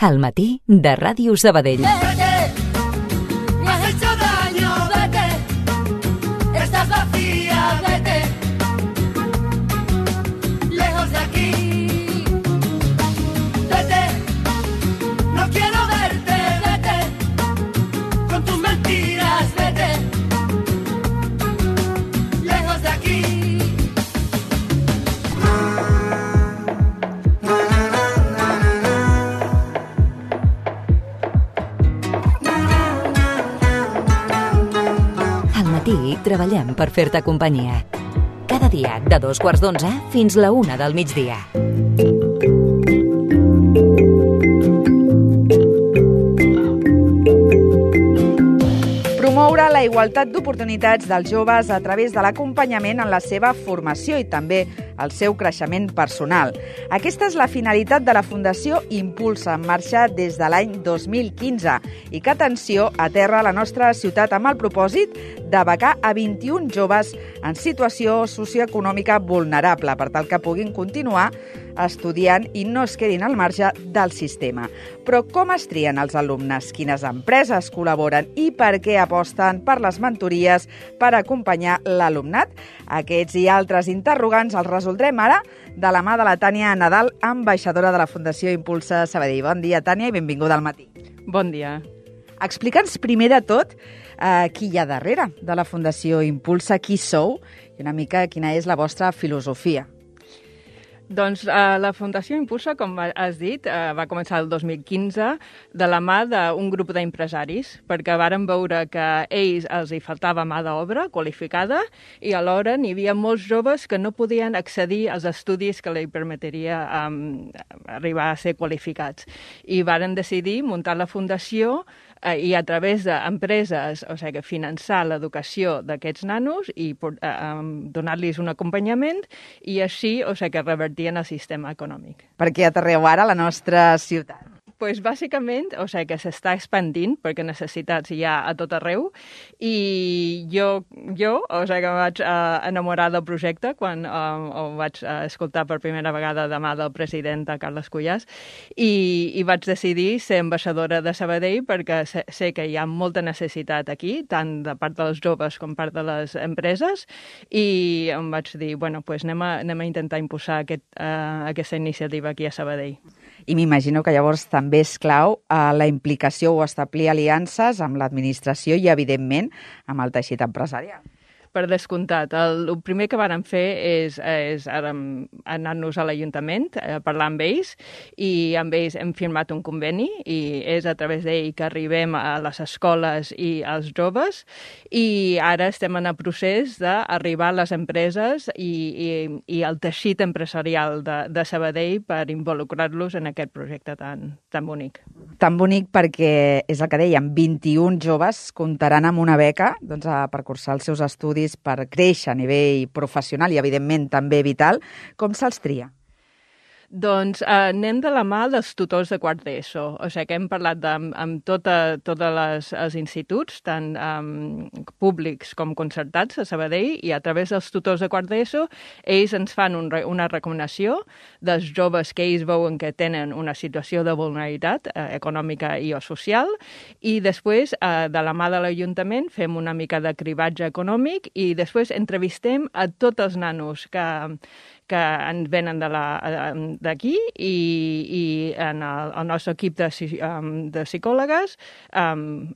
Al matí de Ràdio Sabadell. Vete, me has hecho daño, vete, estás vacía, vete, lejos de aquí, vete, no quiero verte, vete, con tus mentiras, vete, lejos de aquí. Treballem per fer-te companyia. Cada dia de 2:15 fins la 1 del migdia. Promoure la igualtat d'oportunitats dels joves a través de l'acompanyament en la seva formació i també el seu creixement personal. Aquesta és la finalitat de la Fundació Impulsa, en marxa des de l'any 2015 i que, atenció, aterra a la nostra ciutat amb el propòsit de becar a 21 joves en situació socioeconòmica vulnerable per tal que puguin continuar estudiant i no es quedin al marge del sistema. Però com es trien els alumnes? Quines empreses col·laboren i per què aposten per les mentories per acompanyar l'alumnat? Aquests i altres interrogants els resoldrem ara de la mà de la Tània Nadal, ambaixadora de la Fundació Impulsa Sabadell. Bon dia, Tània, i benvinguda al matí. Bon dia. Explica'ns primer de tot qui hi ha darrere de la Fundació Impulsa, qui sou i una mica quina és la vostra filosofia. Doncs la Fundació Impulsa, com has dit, va començar el 2015 de la mà d'un grup d'empresaris, perquè varen veure que a ells els hi faltava mà d'obra qualificada i alhora n'hi havia molts joves que no podien accedir als estudis que li permetria arribar a ser qualificats. I varen decidir muntar la Fundació i a través d'empreses, o sigui, finançar l'educació d'aquests nanos i donar-los un acompanyament i així, o sigui, revertien el sistema econòmic. Per què aterreu ara a la nostra ciutat? Pues bàsicament, o sigui, que s'està expandint perquè necessitats hi ha a tot arreu i jo o sigui, que em vaig enamorar del projecte quan ho vaig escoltar per primera vegada de mà del president Carles Cuyàs i vaig decidir ser ambaixadora de Sabadell perquè sé que hi ha molta necessitat aquí, tant de part dels joves com part de les empreses i em vaig dir, bueno, pues anem a intentar impulsar aquesta iniciativa aquí a Sabadell. I m'imagino que llavors també és clau la implicació o establir aliances amb l'administració i, evidentment, amb el teixit empresarial. Per descomptat. El primer que vàrem fer és anar-nos a l'Ajuntament, parlar amb ells, i amb ells hem firmat un conveni, i és a través d'ell que arribem a les escoles i als joves, i ara estem en el procés d'arribar a les empreses i al teixit empresarial de Sabadell per involucrar-los en aquest projecte tan bonic. Tan bonic perquè, és el que dèiem, 21 joves comptaran amb una beca per cursar els seus estudis per créixer a nivell professional i, evidentment, també vital. Com se'ls tria? Doncs anem de la mà dels tutors de quart d'ESO. O sigui que hem parlat amb tots els instituts, tant públics com concertats a Sabadell, i a través dels tutors de quart d'ESO ells ens fan una recomanació dels joves que ells veuen que tenen una situació de vulnerabilitat econòmica i o social, i després de la mà de l'Ajuntament fem una mica de cribatge econòmic i després entrevistem a tots els nanos que ens venen d'aquí i en el nostre equip de psicòlogues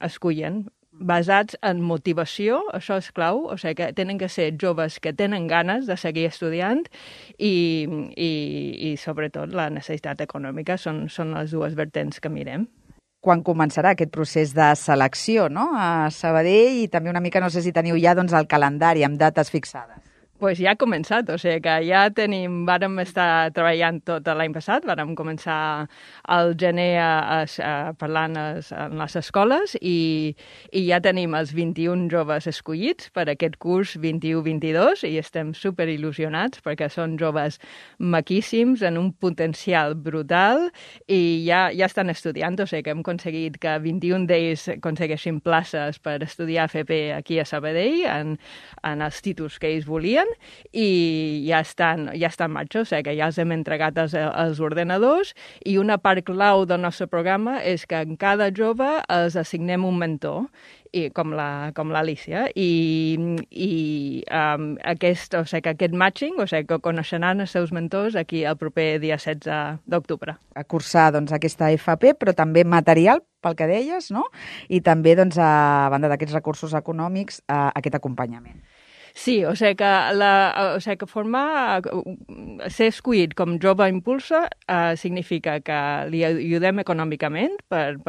escullen basats en motivació, això és clau, o sigui que tenen que ser joves que tenen ganes de seguir estudiant i sobretot la necessitat econòmica són les dues vertents que mirem. Quan començarà aquest procés de selecció, no?, a Sabadell, i també una mica, no sé si teniu ja el calendari amb dates fixades. Pues ja ha començat, o sigui que ja vàrem estar treballant tot l'any passat, vàrem començar al gener parlant en les escoles i ja tenim els 21 joves escollits per aquest curs 21-22 i estem superil·lusionats perquè són joves maquíssims, en un potencial brutal i ja estan estudiant, o sigui que hem aconseguit que 21 d'ells aconsegueixin places per estudiar FP aquí a Sabadell en els títols que ells volien i ja està en marxa, o sigui que ja els hem entregat als ordenadors, i una part clau del nostre programa és que en cada jove els assignem un mentor, com l'Alícia, i aquest matching, o sigui que coneixeran els seus mentors aquí el proper dia 16 d'octubre. A cursar aquesta FP, però també material, pel que deies, no? I també, a banda d'aquests recursos econòmics, aquest acompanyament. Sí, o sigui que ser escollit com jove impulsa significa que li ajudem econòmicament per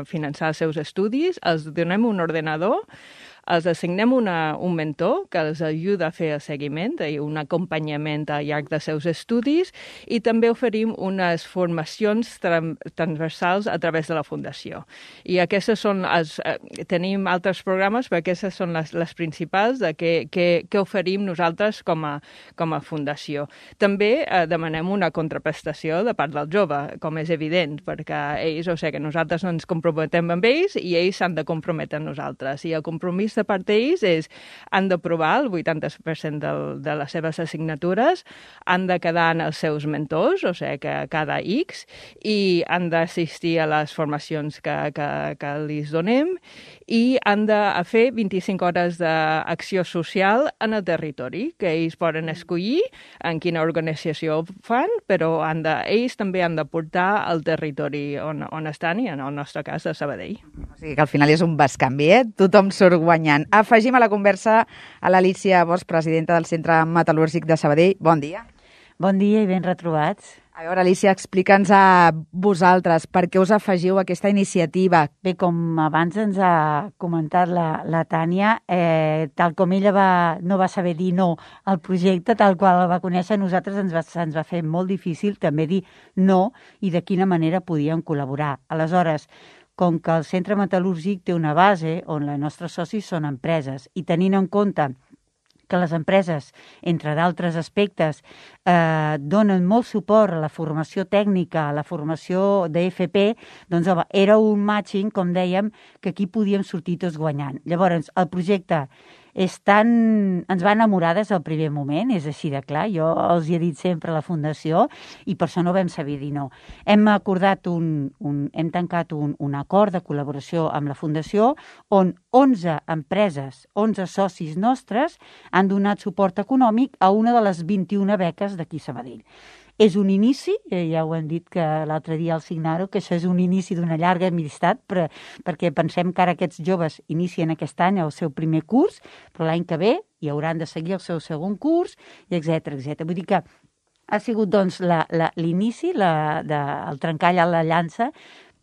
finançar els seus estudis, els donem un ordenador, els assignem un mentor que els ajuda a fer el seguiment i un acompanyament al llarg dels seus estudis, i també oferim unes formacions transversals a través de la Fundació. I aquestes són tenim altres programes, però aquestes són les principals que oferim nosaltres com a Fundació. També demanem una contraprestació de part del jove, com és evident, perquè ells, o sigui que nosaltres ens comprometem amb ells i ells s'han de comprometre amb nosaltres. I el compromís de part d'ells han d'aprovar el 80% de les seves assignatures, han de quedar en els seus mentors, o sigui que cada X, i han d'assistir a les formacions que li donem, i han de fer 25 hores d'acció social en el territori, que ells poden escollir en quina organització ho fan, però ells també han de portar al territori on estan, i en el nostre cas a Sabadell. O sigui que al final és un bescanvi, Tothom surt guanyant. Afegim a la conversa a l'Alícia Bosch, presidenta del Centre Metal·lúrgic de Sabadell. Bon dia. Bon dia i ben retrobats. A veure, Alícia, explica'ns a vosaltres per què us afegiu a aquesta iniciativa. Bé, com abans ens ha comentat la Tània, tal com ella no va saber dir no al projecte, tal qual el va conèixer, a nosaltres ens va fer molt difícil també dir no i de quina manera podíem col·laborar. Aleshores, com que el Centre Metal·lúrgic té una base on els nostres socis són empreses, i tenint en compte que les empreses, entre d'altres aspectes, donen molt suport a la formació tècnica, a la formació d'FP, doncs era un matching, com dèiem, que aquí podíem sortir tots guanyant. Llavors, el projecte ens va enamorar des del primer moment, és així de clar, jo els hi he dit sempre a la Fundació, i per això no vam saber dir no. Hem acordat hem tancat un acord de col·laboració amb la Fundació, on 11 empreses, 11 socis nostres, han donat suport econòmic a una de les 21 beques d'aquí a Sabadell. És un inici, ja ho hem dit que l'altre dia al signar-ho, que això és un inici d'una llarga amistat, perquè pensem que ara aquests joves inicien aquest any el seu primer curs, però l'any que ve hi hauran de seguir el seu segon curs, i etcètera. Vull dir que ha sigut doncs l'inici, el trencall a la llança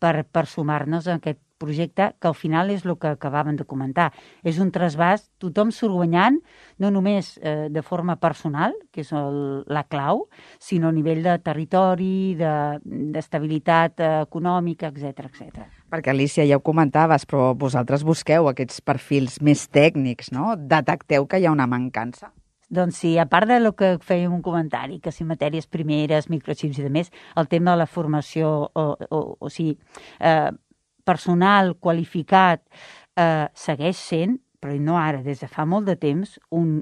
per sumar-nos a aquest projecte, que al final és el que acabàvem de comentar. És un trasbàs, tothom surt guanyant, no només de forma personal, que és la clau, sinó a nivell de territori, d'estabilitat econòmica, etcètera. Perquè, Alícia, ja ho comentaves, però vosaltres busqueu aquests perfils més tècnics, no? Detecteu que hi ha una mancança? Doncs sí, a part del que fèiem un comentari, que si matèries primeres, microxips i demés, el tema de la formació, o sigui, personal qualificat segueix sent, però no ara, des de fa molt de temps, un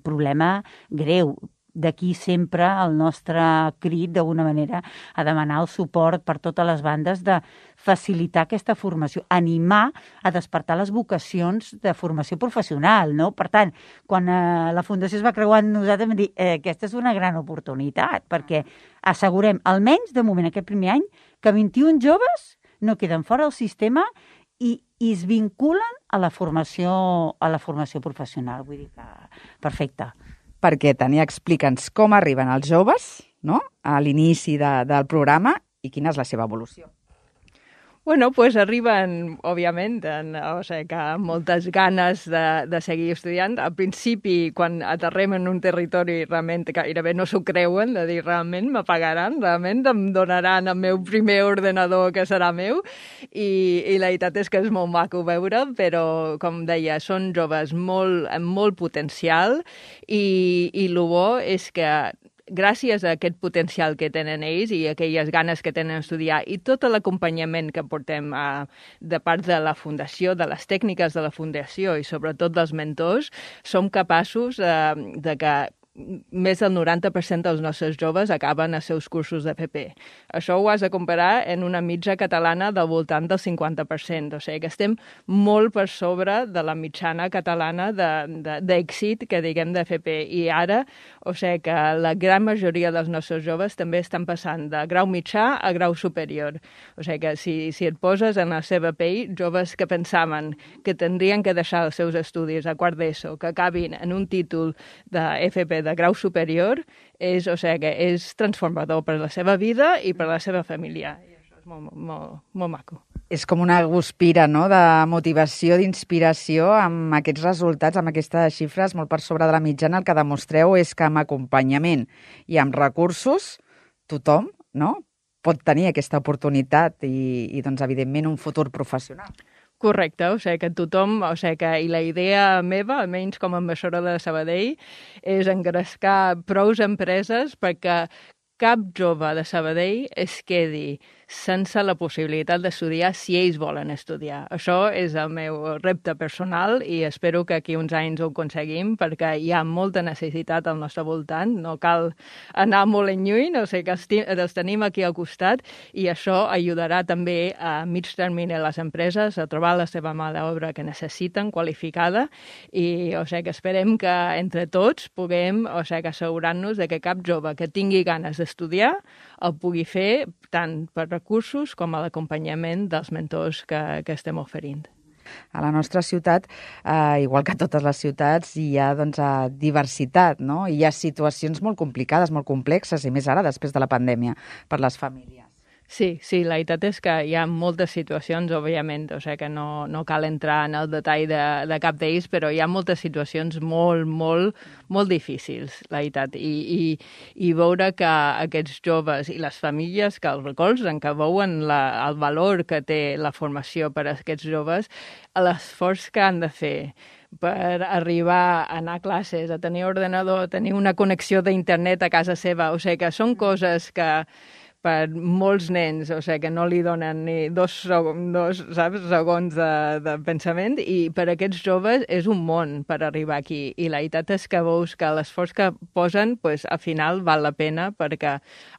problema greu. D'aquí sempre el nostre crit, d'alguna manera, a demanar el suport per totes les bandes de facilitar aquesta formació, animar a despertar les vocacions de formació professional, no? Per tant, quan la Fundació es va creuar amb nosaltres, vam dir, aquesta és una gran oportunitat, perquè assegurem, almenys de moment, aquest primer any, que 21 joves no queden fora del sistema i es vinculen a la formació professional. Vull dir que perfecte. Perquè, Tània, explica'ns com arriben els joves, no?, a l'inici del programa i quina és la seva evolució. Bueno, pues arriben, òbviament, o sigui, que amb moltes ganes de seguir estudiant. Al principi, quan aterrem en un territori, realment gairebé no s'ho creuen, de dir, realment me pagaran, realment em donaran el meu primer ordenador que serà meu, i la veritat és que és molt maco veure, però, com deia, són joves amb molt potencial, i el bo és que gràcies a aquest potencial que tenen ells i aquelles ganes que tenen d'estudiar i tot l'acompanyament que portem de part de la Fundació, de les tècniques de la Fundació i sobretot dels mentors, som capaços de que més del 90% dels nostres joves acaben els seus cursos d'FP. Això ho has de comparar en una mitja catalana del voltant del 50%. O sigui que estem molt per sobre de la mitjana catalana d'èxit que diguem d'FP. I ara, o sigui que la gran majoria dels nostres joves també estan passant de grau mitjà a grau superior. O sigui que si et poses en la seva pell, joves que pensaven que tindrien que deixar els seus estudis a quart d'ESO, que acabin en un títol d'FP de grau superior, és transformador per la seva vida i per la seva família. I això és molt maco. És com una guspira, no?, de motivació, d'inspiració amb aquests resultats, amb aquestes xifres molt per sobre de la mitjana. El que demostreu és que amb acompanyament i amb recursos tothom, no?, pot tenir aquesta oportunitat i doncs, evidentment, un futur professional. Correcte, o sigui que tothom, i la idea meva, almenys com a ambaixadora de Sabadell, és engrescar prous empreses perquè cap jove de Sabadell es quedi sense la possibilitat d'estudiar si ells volen estudiar. Això és el meu repte personal i espero que aquí uns anys ho aconseguim perquè hi ha molta necessitat al nostre voltant, no cal anar molt en lluny, o sigui que els tenim aquí al costat i això ajudarà també a mig termini a les empreses a trobar la seva mà d'obra que necessiten, qualificada, i o sigui que esperem que entre tots puguem assegurar-nos de que cap jove que tingui ganes d'estudiar el pugui fer tant per recursos com a l'acompanyament dels mentors que estem oferint. A la nostra ciutat, igual que a totes les ciutats, hi ha diversitat, no? Hi ha situacions molt complicades, molt complexes, i més ara, després de la pandèmia, per les famílies. Sí, la veritat és que hi ha moltes situacions, òbviament, o sigui que no cal entrar en el detall de cap d'ells, però hi ha moltes situacions molt difícils, la veritat, i veure que aquests joves i les famílies que els recolzen, que veuen el valor que té la formació per a aquests joves, l'esforç que han de fer per arribar a anar a classes, a tenir ordinador, a tenir una connexió d'internet a casa seva, o sigui que són coses que per molts nens, o sigui que no li donen ni dos segons de pensament, i per aquests joves és un món per arribar aquí. I la veritat és que veus que l'esforç que posen, al final val la pena perquè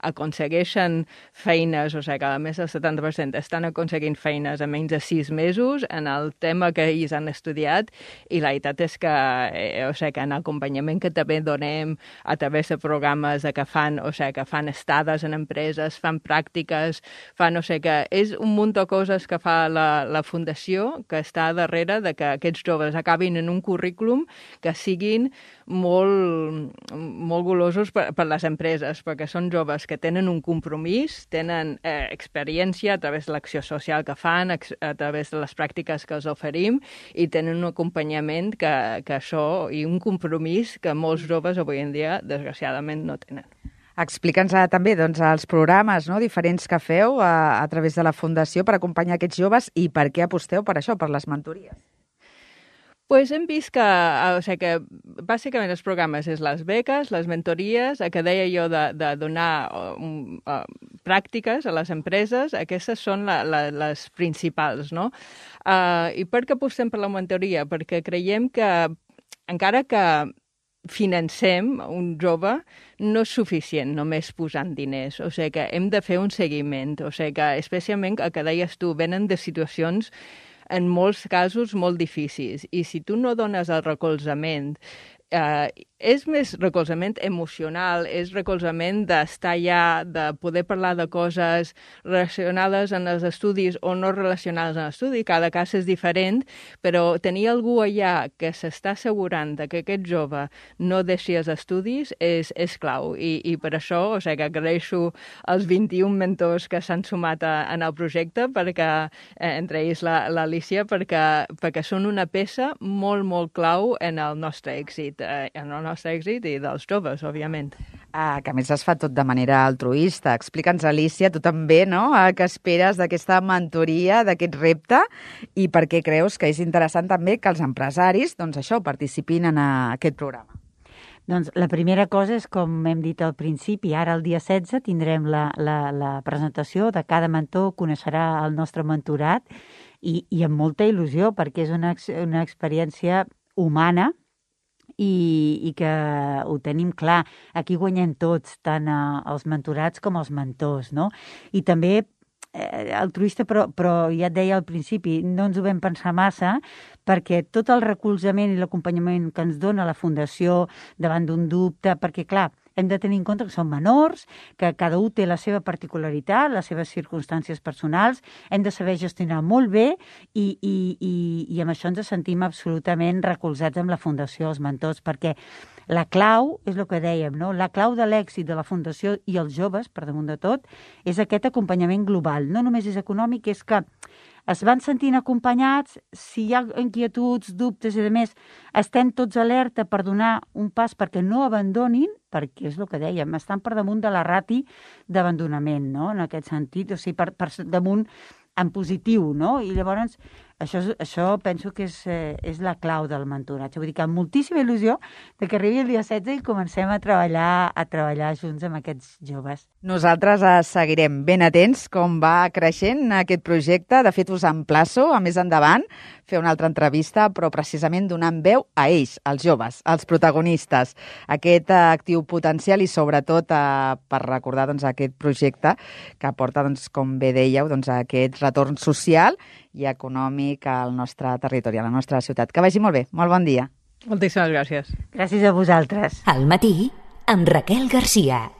aconsegueixen feines, o sigui que a més del 70% estan aconseguint feines a menys de 6 mesos en el tema que ells han estudiat, i la veritat és que, en acompanyament que també donem a través de programes que fan estades en empreses, fan pràctiques, que és un munt de coses que fa la Fundació que està darrere de que aquests joves acabin en un currículum que siguin molt golosos per les empreses, perquè són joves que tenen un compromís, tenen experiència a través de l'acció social que fan, a través de les pràctiques que els oferim, i tenen un acompanyament que això, i un compromís que molts joves avui en dia, desgraciadament, no tenen. Explica'ns també els programes diferents que feu a través de la Fundació per acompanyar aquests joves i per què aposteu per això, per les mentories. Hem vist que bàsicament els programes és les beques, les mentories, que deia jo de donar pràctiques a les empreses, aquestes són les principals, no? I per què apostem per la mentoria? Perquè creiem que encara que financem un jove, no és suficient només posant diners. O sigui que hem de fer un seguiment. O sigui que, especialment, el que deies tu, venen de situacions en molts casos molt difícils. I si tu no dones el recolzament, és més recolzament emocional, és recolzament d'estar allà, de poder parlar de coses relacionades en els estudis o no relacionades en l'estudi, cada cas és diferent, però tenir algú allà que s'està assegurant que aquest jove no deixi els estudis és clau, i per això que agraeixo els 21 mentors que s'han sumat en el projecte, perquè entre ells l'Alicia, perquè són una peça molt clau en el nostre èxit, i dels joves, òbviament. Que a més es fa tot de manera altruista. Explica'ns, Alicia, tu també, no?, què esperes d'aquesta mentoria, d'aquest repte, i per què creus que és interessant també que els empresaris, participin en aquest programa? Doncs la primera cosa és, com hem dit al principi, ara el dia 16 tindrem la presentació de cada mentor, coneixerà el nostre mentorat i amb molta il·lusió, perquè és una experiència humana i que ho tenim clar. Aquí guanyem tots, tant els mentorats com els mentors, no? I també altruista, però ja et deia al principi, no ens ho vam pensar massa, perquè tot el recolzament i l'acompanyament que ens dona la Fundació davant d'un dubte, perquè clar, hem de tenir en compte que són menors, que cada un té la seva particularitat, les seves circumstàncies personals, hem de saber gestionar molt bé i amb això ens sentim absolutament recolzats amb la Fundació, els mentors, perquè la clau, és el que dèiem, no? La clau de l'èxit de la Fundació i els joves, per damunt de tot, és aquest acompanyament global. No només és econòmic, és que es van sentint acompanyats, si hi ha inquietuds, dubtes i demés, estem tots alerta per donar un pas perquè no abandonin, perquè és el que dèiem, estan per damunt de la rati d'abandonament, no? En aquest sentit, o sigui, per damunt en positiu, no? I llavors això penso que és la clau del mentoratge. Vull dir que amb moltíssima il·lusió de que arribi el dia 16 i comencem a treballar junts amb aquests joves. Nosaltres seguirem ben atents com va creixent aquest projecte. De fet, us emplaço a més endavant fer una altra entrevista, però precisament donant veu a ells, als joves, als protagonistes, aquest actiu potencial i sobretot per recordar aquest projecte que porta, com bé dèieu, aquest retorn social i econòmic al nostre territori, a la nostra ciutat. Que vagi molt bé. Molt bon dia. Moltíssimes gràcies. Gràcies a vosaltres. Al matí, amb Raquel Garcia.